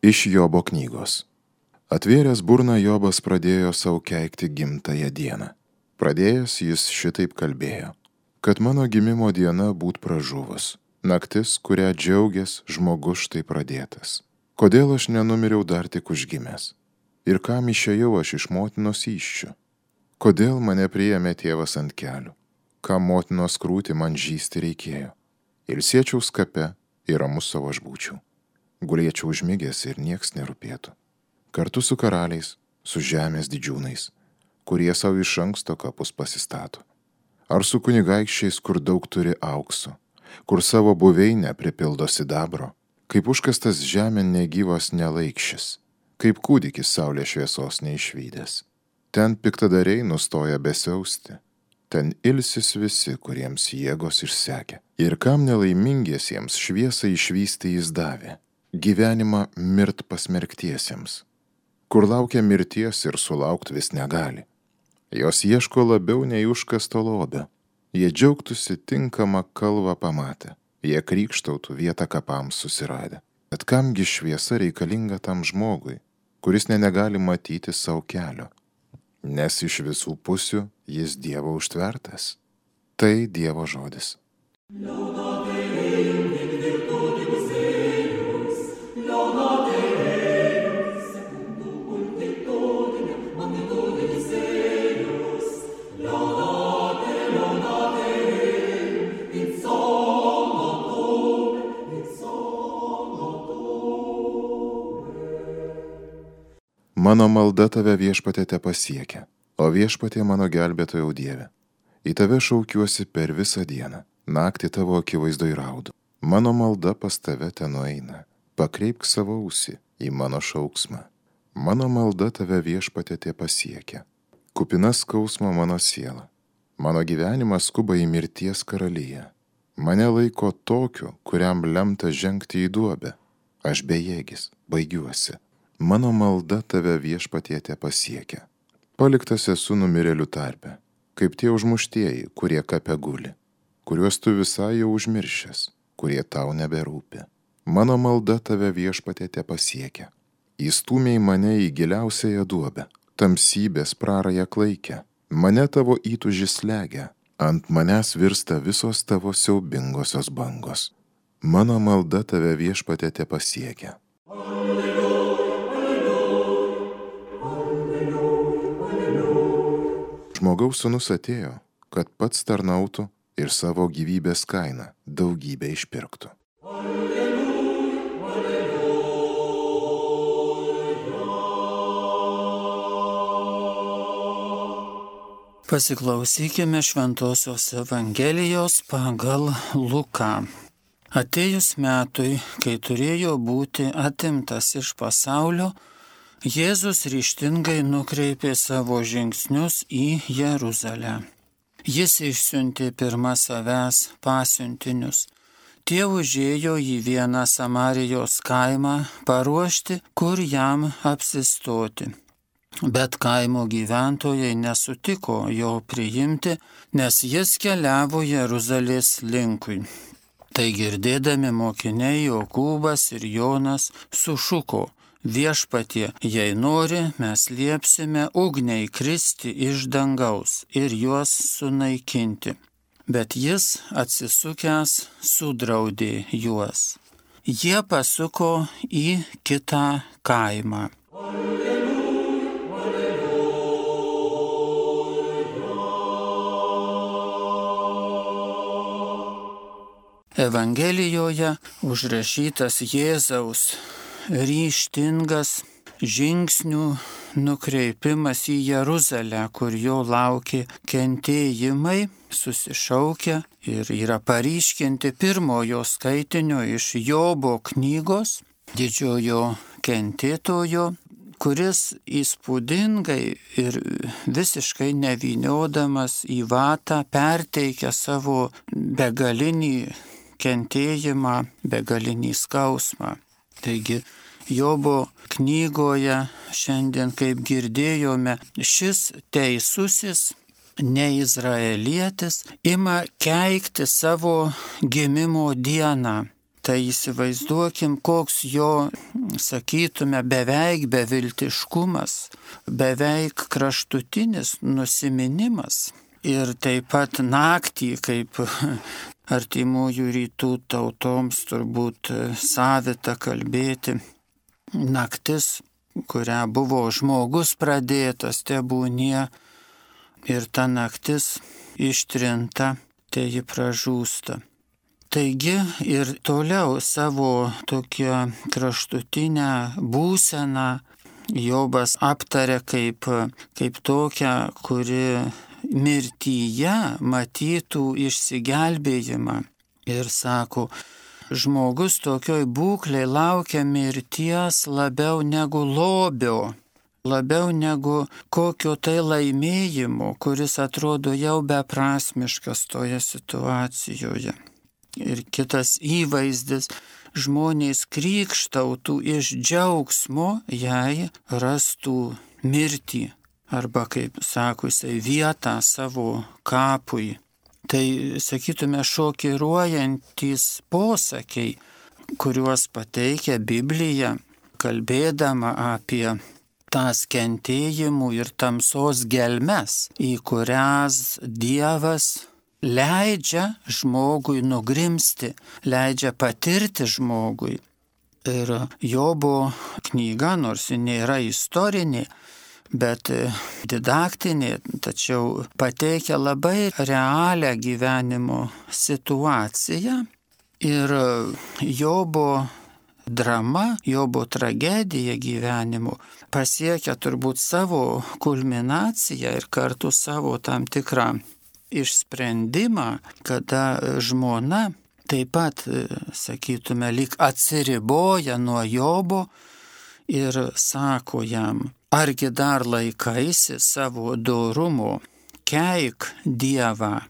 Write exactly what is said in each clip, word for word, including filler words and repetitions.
Iš Jobo knygos. Atvėręs burną Jobas pradėjo sau keikti gimtąją dieną. Pradėjęs jis šitaip kalbėjo, kad mano gimimo diena būt pražuvus, naktis, kurią džiaugės žmogus štai pradėtas. Kodėl aš nenumiriau dar tik užgimęs? Ir kam išėjau aš iš motinos įsčių? Kodėl mane priėmė tėvas ant kelių? Kam motinos krūtį man žysti reikėjo? Ilsėčiaus kape ir ramus savo aš būčiau. Gulėčiau užmigęs ir nieks nerūpėtų. Kartu su karaliais, su žemės didžiūnais, kurie savo iš anksto kapus pasistato. Ar su kunigaikščiais, kur daug turi aukso, kur savo buveinę pripildo sidabro, kaip užkastas žemėn negyvas nelaikšis, kaip kūdikis saulės šviesos neišvydęs. Ten piktadariai nustoja besiausti, ten ilsis visi, kuriems jėgos išsekė. Ir kam nelaimingiesiems šviesą išvysti jis davė, gyvenimą mirt pasmerktiesiems, kur laukia mirties ir sulaukt vis negali. Jos ieško labiau nei užkasto lobio, jie džiaugtųsi tinkamą kalvą pamatę, jie krykštautų vietą kapams susiradę. Bet kamgi šviesa reikalinga tam žmogui, kuris ne negali matyti savo kelio, nes iš visų pusių jis Dievo užtvertas. Tai Dievo žodis. Mano malda tave viešpatie tepasiekia, o viešpatie mano gelbėtojau Dieve. Į tave šaukiuosi per visą dieną, naktį tavo akivaizdoj raudu. Mano malda pas tave tenueina, pakreipk savo ausį į mano šauksmą. Mano malda tave viešpatie tepasiekia, kupina skausmo mano siela. Mano gyvenimas skuba į mirties karaliją. Mane laiko tokiu, kuriam lemta žengti į duobę. Aš bejėgis, baigiuosi. Mano malda tave viešpatie tepasiekia. Paliktas esu numirėlių tarpe, kaip tie užmuštieji, kurie kape guli, kuriuos tu visai jau užmiršęs, kurie tau neberūpi. Mano malda tave viešpatie tepasiekia. Įstūmei mane į giliausiąją duobę, tamsybės prarają klaikę, mane tavo įtūžis slegia, ant manęs virsta visos tavo siaubingosios bangos. Mano malda tave viešpatie tepasiekia. Žmogaus sūnus atėjo, kad pats tarnautų ir savo gyvybės kainą daugybę išpirktų. Pasiklausykime Šventosios Evangelijos pagal Luką. Atėjus metui, kai turėjo būti atimtas iš pasaulio, Jėzus ryžtingai nukreipė savo žingsnius į Jeruzalę. Jis išsiuntė pirma savęs pasiuntinius. Tie užėjo į vieną Samarijos kaimą paruošti, kur jam apsistoti. Bet kaimo gyventojai nesutiko jo priimti, nes jis keliavo Jeruzalės linkui. Tai girdėdami mokiniai Jokūbas ir Jonas sušuko: Viešpatie, jei nori, mes liepsime ugniai kristi iš dangaus ir juos sunaikinti. Bet jis, atsisukęs, sudraudė juos. Jie pasuko į kitą kaimą. Evangelijoje užrašytas Jėzaus ryžtingas žingsnių nukreipimas į Jeruzalę, kur jo laukė kentėjimai, susišaukia ir yra paryškinti pirmojo skaitinio iš Jobo knygos, didžiojo kentėtojo, kuris įspūdingai ir visiškai nevyniodamas į vatą perteikia savo begalinį kentėjimą, begalinį skausmą. Taigi, Jobo knygoje šiandien, kaip girdėjome, šis teisusis neizraelietis ima keikti savo gimimo dieną. Tai įsivaizduokim, koks jo, sakytume, beveik beviltiškumas, beveik kraštutinis nusiminimas. Ir taip pat naktį, kaip artimųjų rytų tautoms turbūt savita kalbėti, naktis, kurią buvo žmogus pradėtas, tebūnie, ir ta naktis ištrinta, tai ji pražūsta. Taigi ir toliau savo tokią kraštutinę būseną Jobas aptarė kaip, kaip tokią, kuri mirtyje matytų išsigelbėjimą. Ir sako, žmogus tokioj būklei laukia mirties labiau negu lobio, labiau negu kokio tai laimėjimo, kuris atrodo jau beprasmiškas toje situacijoje. Ir kitas įvaizdis, žmonės krykštautų iš džiaugsmo, jei rastų mirtį, arba, kaip sako jisai, vietą savo kapui. Tai, sakytume, šokiruojantys posakiai, kuriuos pateikia Biblija, kalbėdama apie tas kentėjimų ir tamsos gelmes, į kurias Dievas leidžia žmogui nugrimsti, leidžia patirti žmogui. Ir Jobo knyga, nors ji nėra istorinė, bet didaktinė, tačiau pateikia labai realią gyvenimo situaciją. Ir Jobo drama, Jobo tragedija gyvenimo pasiekia turbūt savo kulminaciją ir kartu savo tam tikrą išsprendimą, kada žmona taip pat, sakytume, lyg atsiriboja nuo Jobo ir sako jam, argi dar laikaisi savo dorumo, keik Dievą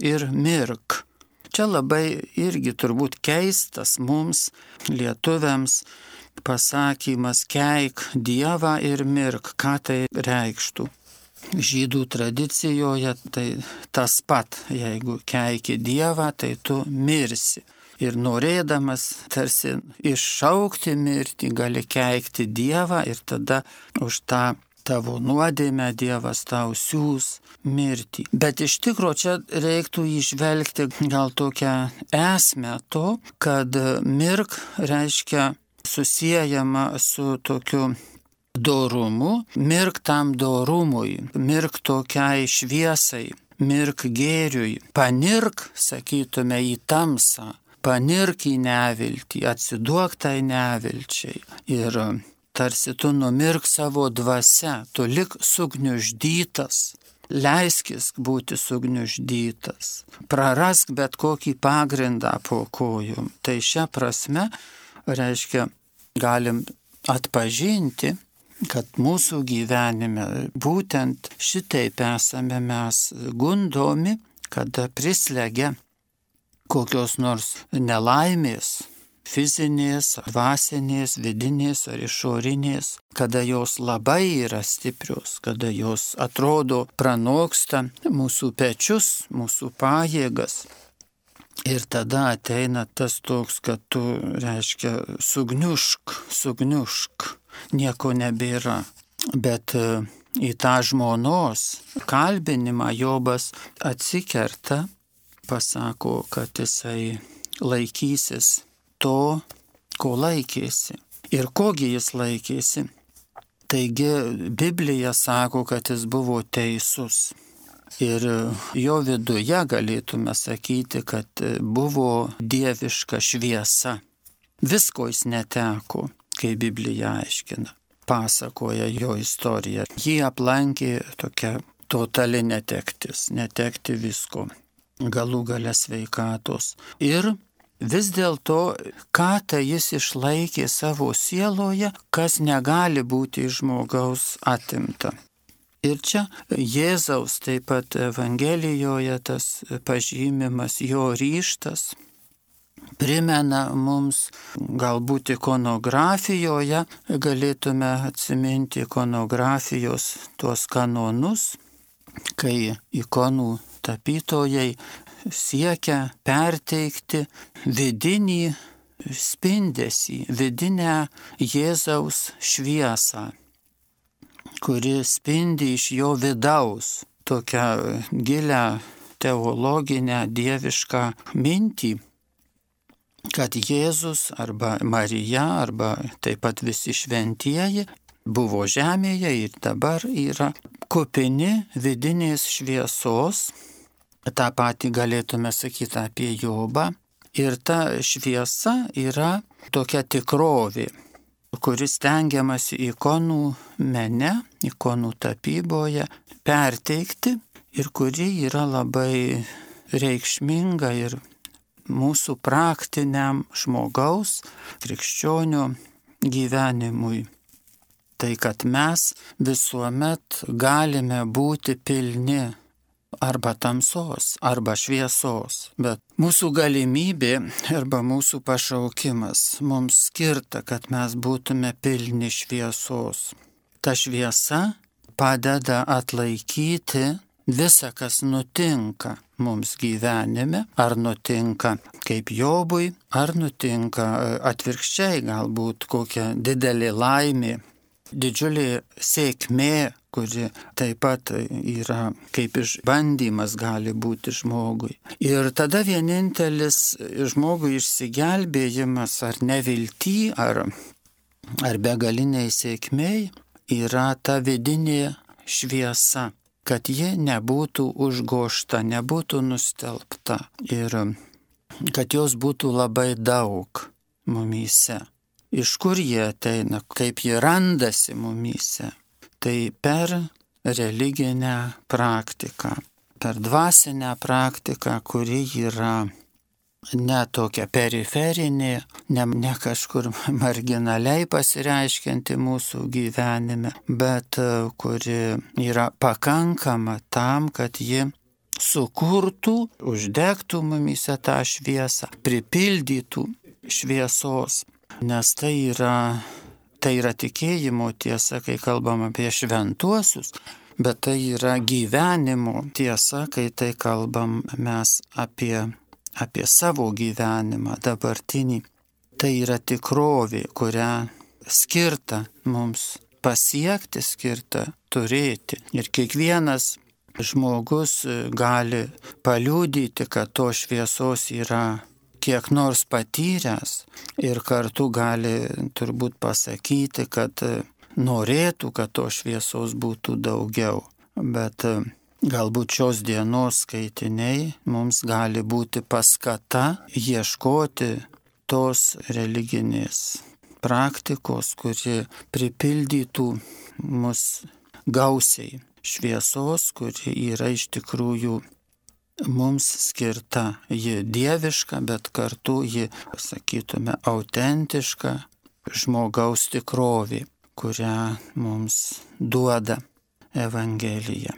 ir mirk. Čia labai irgi turbūt keistas mums, lietuviams, pasakymas keik Dievą ir mirk. Ką tai reikštų? Žydų tradicijoje tai tas pat, jeigu keiki Dievą, tai tu mirsi. Ir norėdamas tarsi iššaukti mirtį, gali keikti Dievą ir tada už tą tavo nuodėmę Dievas tau siūs mirtį. Bet iš tikro čia reiktų įžvelgti gal tokią esmę to, kad mirk reiškia susiejama su tokiu dorumu, mirk tam dorumui, mirk tokiai šviesai, mirk gėriui, panirk, sakytume, į tamsą, panirk į neviltį, atsiduok tai nevilčiai. Ir tarsi tu numirk savo dvasia, tu lik sugniuždytas, leiskis būti sugniuždytas, prarask bet kokį pagrindą po kojom. Tai šia prasme, reiškia, galim atpažinti, kad mūsų gyvenime būtent šitaip esame mes gundomi, kada prislegia kokios nors nelaimės, fizinės, dvasinės, vidinės ar išorinės, kada jos labai yra stiprios, kada jos atrodo pranoksta mūsų pečius, mūsų pajėgas. Ir tada ateina tas toks, kad tu, reiškia, sugniušk, sugniušk, nieko nebėra. Bet į tą žmonos kalbinimą Jobas atsikerta, pasako, kad jisai laikysis to, ko laikėsi. Ir kogi jis laikėsi? Taigi Biblija sako, kad jis buvo teisus. Ir jo viduje galėtume sakyti, kad buvo dieviška šviesa. Visko jis neteko, kai Biblija aiškina, pasakoja jo istoriją. Jį aplankė tokia totali netektis, netekti visko, galų gale sveikatos. Ir vis dėlto, ką tai jis išlaikė savo sieloje, kas negali būti iš žmogaus atimta. Ir čia Jėzaus taip pat Evangelijoje tas pažymimas, jo ryžtas, primena mums galbūt ikonografijoje, galėtume atsiminti ikonografijos tuos kanonus, kai ikonų tapytojai siekia perteikti vidinį spindesį, vidinę Jėzaus šviesą, kuri spindi iš jo vidaus, tokią gilią teologinę dievišką mintį, kad Jėzus arba Marija arba taip pat visi šventieji buvo žemėje ir dabar yra kupini vidinės šviesos. Ta pati galėtume sakyti apie Jobą. Ir ta šviesa yra tokia tikrovė, kuris stengiamasi ikonų mene, ikonų tapyboje perteikti ir kuri yra labai reikšminga ir mūsų praktiniam žmogaus, krikščionio gyvenimui. Tai, kad mes visuomet galime būti pilni arba tamsos, arba šviesos, bet mūsų galimybė arba mūsų pašaukimas mums skirta, kad mes būtume pilni šviesos. Ta šviesa padeda atlaikyti visą, kas nutinka mums gyvenime, ar nutinka kaip Jobui, ar nutinka atvirkščiai, galbūt kokia didelė laimė, didžiulė sėkmė, kuri taip pat yra kaip išbandymas gali būti žmogui. Ir tada vienintelis žmogui išsigelbėjimas ar nevilty, ar, ar begaliniai sėkmiai yra ta vidinė šviesa, kad ji nebūtų užgošta, nebūtų nustelbta ir kad jos būtų labai daug mumyse. Iš kur jie ateina, kaip jie randasi mumyse? Tai per religinę praktiką, per dvasinę praktiką, kuri yra ne tokia periferinė, ne, ne kažkur marginaliai pasireiškianti mūsų gyvenime, bet kuri yra pakankama tam, kad ji sukurtų, uždegtų mumyse tą šviesą, pripildytų šviesos, nes tai yra Tai yra tikėjimo tiesa, kai kalbam apie šventuosius, bet tai yra gyvenimo tiesa, kai tai kalbam mes apie, apie savo gyvenimą dabartinį. Tai yra tikrovė, kurią skirta mums pasiekti, skirta turėti. Ir kiekvienas žmogus gali paliudyti, kad to šviesos yra kiek nors patyręs ir kartu gali turbūt pasakyti, kad norėtų, kad to šviesos būtų daugiau. Bet galbūt šios dienos skaitiniai mums gali būti paskata ieškoti tos religinės praktikos, kuri pripildytų mus gausiai šviesos, kuri yra iš tikrųjų mums skirta. Ji dieviška, bet kartu ji, sakytume, autentiška žmogaus tikrovė, kurią mums duoda Evangelija.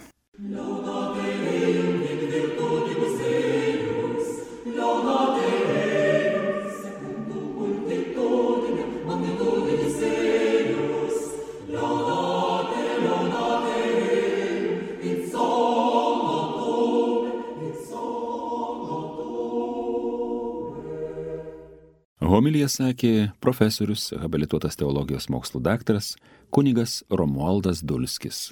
Homiliją sakė profesorius, habilituotas teologijos mokslų daktaras kunigas Romualdas Dulskis.